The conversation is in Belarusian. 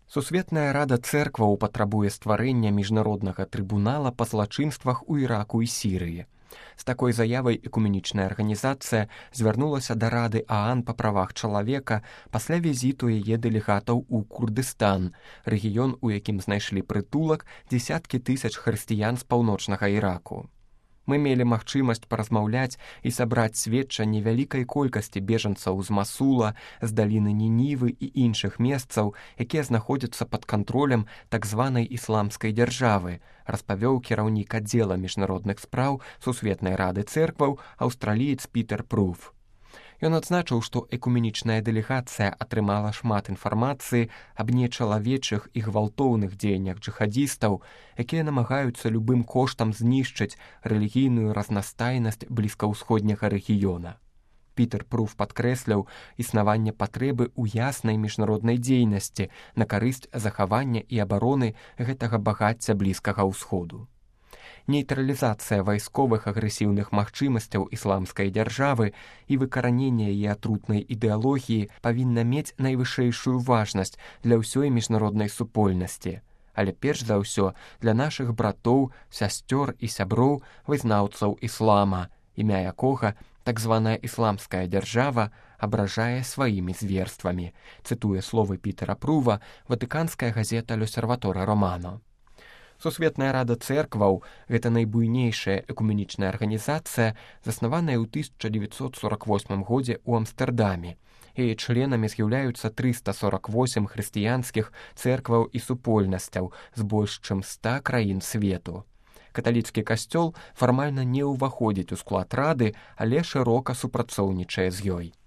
Сусветная рада цэркваў патрабуе стварэння міжнароднага трыбунала па злачынствах у Іраку і Сірыі. З такой заявай экуменічная арганізацыя звярнулася да рады ААН па правах чалавека пасля візіту яе дэлегатаў у Курдыстан, рэгіён, у якім знайшлі прытулак дзесяткі тысяч хрысціян з паўночнага Іраку. Мы мелі магчымасць паразмаўляць і сабраць сведчанні вялікай колькасці бежанцаў з Масула, з даліны Нінівы і іншых месцаў, якія знаходзяцца пад кантролем так званай ісламскай дзяржавы, распавёў кіраўнік аддзела міжнародных спраў Сусветнай рады цэркваў аўстраліец Пітер Пруф. Ён адзначыў, што экуменічная дэлегацыя атрымала шмат інфармацыі аб нечалавечых і гвалтоўных дзеяннях джыхадзістаў, якія намагаюцца любым коштам знішчыць рэлігійную разнастайнасць блізкаўсходняга рэгіёна. Пітер Пруф падкрэсляў існаванне патрэбы ў яснай міжнароднай дзейнасці на карысць захавання і абароны гэтага багацця Блізкага ўсходу. Нейтралізацыя вайсковых агрэсіўных магчымасцяў ісламскай дзяржавы і выкараненне яе атрутнай ідэалогіі павінна мець найвышэйшую важнасць для ўсёй міжнароднай супольнасці, але перш за ўсё для нашых братоў, сясцёр і сяброў вызнаўцаў іслама, імя якога так званая ісламская дзяржава абражае сваімі зверствамі, цытуе словы Пітера Прува ватыканская газета «Л'Осерваторе Романо». Сусветная рада цэркваў – гэта найбуйнейшая экуменічная арганізацыя, заснаваная ў 1948 годзе ў Амстэрдаме. Яе членамі з'яўляюцца 348 хрысціянскіх цэркваў і супольнасцяў з больш чым 100 краін свету. Каталіцкі касцёл фармальна не ўваходзіць у склад рады, але шырока супрацоўнічае з ёй.